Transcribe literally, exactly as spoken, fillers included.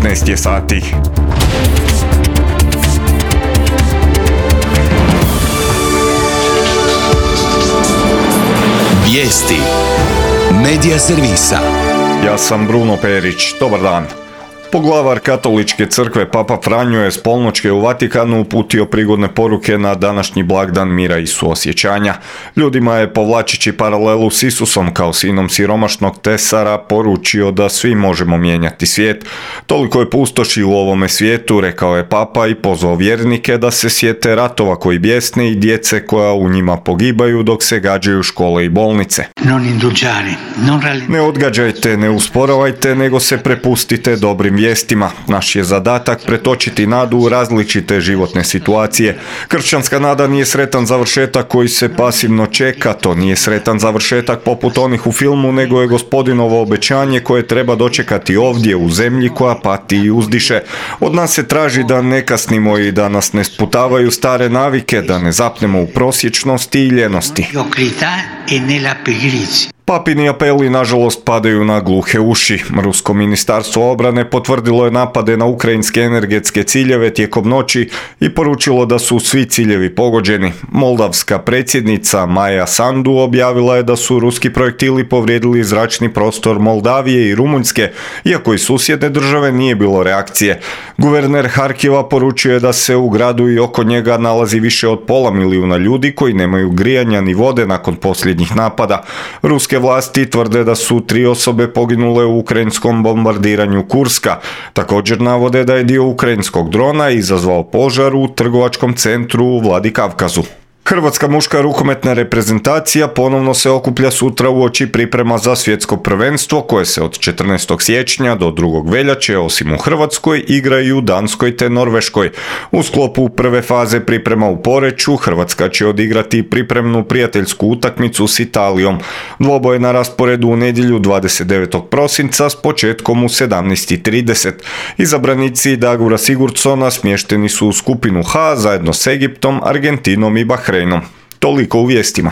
devetnaest je sati. Vijesti Medija servisa. Ja sam Bruno Perić, dobar dan. Poglavar Katoličke crkve Papa Franjo je s polnoćke u Vatikanu uputio prigodne poruke na današnji blagdan mira i suosjećanja. Ljudima je, povlačići paralelu s Isusom kao sinom siromašnog tesara, poručio da svi možemo mijenjati svijet. Toliko je pustoši u ovome svijetu, rekao je Papa, i pozvao vjernike da se sjete ratova koji bjesne i djece koja u njima pogibaju dok se gađaju škole i bolnice. Ne odgađajte, ne usporavajte, nego se prepustite dobrim vijestima. Naš je zadatak pretočiti nadu u različite životne situacije. Kršćanska nada nije sretan završetak koji se pasivno čeka, to nije sretan završetak poput onih u filmu, nego je Gospodinovo obećanje koje treba dočekati ovdje u zemlji koja pati i uzdiše. Od nas se traži da ne kasnimo i da nas ne sputavaju stare navike, da ne zapnemo u prosječnosti i ljenosti. Papini apeli nažalost padaju na gluhe uši. Rusko ministarstvo obrane potvrdilo je napade na ukrajinske energetske ciljeve tijekom noći i poručilo da su svi ciljevi pogođeni. Moldavska predsjednica Maja Sandu objavila je da su ruski projektili povrijedili zračni prostor Moldavije i Rumunjske, iako i susjedne države nije bilo reakcije. Guverner Harkiva poručio je da se u gradu i oko njega nalazi više od pola milijuna ljudi koji nemaju grijanja ni vode nakon posljednjih napada. Ruske vlasti tvrde da su tri osobe poginule u ukrajinskom bombardiranju Kurska. Također navode da je dio ukrajinskog drona izazvao požar u trgovačkom centru u Vladikavkazu. Hrvatska muška rukometna reprezentacija ponovno se okuplja sutra uoči priprema za svjetsko prvenstvo koje se od četrnaestog siječnja do drugog veljače, osim u Hrvatskoj, igra i u Danskoj te Norveškoj. U sklopu prve faze priprema u Poreču Hrvatska će odigrati pripremnu prijateljsku utakmicu s Italijom. Dvoboj je na rasporedu u nedjelju dvadeset devetog prosinca s početkom u sedamnaest i trideset. Izabranici Dagura Sigurdsona smješteni su u skupinu H zajedno s Egiptom, Argentinom i Bahreinom. Toliko u vijestima.